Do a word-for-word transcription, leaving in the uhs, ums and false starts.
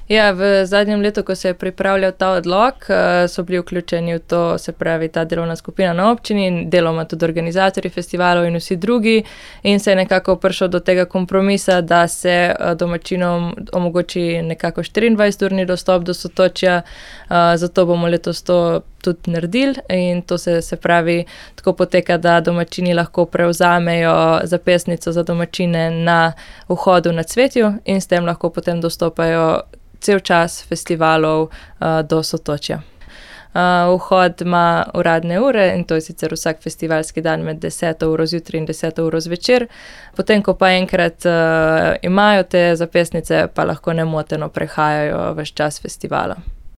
Ja, v zadnjem letu, ko se je pripravljal ta odlok, so bili vključeni v to, se pravi, ta delovna skupina na občini, deloma tudi organizatorji festivalov in vsi drugi, in se je nekako prišel do tega kompromisa, da se domačinom omogoči nekako štiriindvajseturni dostop do Sotočja, zato bomo letos to tudi naredili in to se, se pravi, tako poteka, da domačini lahko prevzamejo zapestnico za domačine na vhodu na Cvetju in s tem lahko potem dostopajo cel čas festivalov uh, do Sotočja. Uh, vhod ima uradne ure in to je sicer vsak festivalski dan med deseto uro zjutraj in deseto uro zvečer. Potem, ko pa enkrat uh, imajo te zapestnice, pa lahko nemoteno prehajajo ves čas festivala.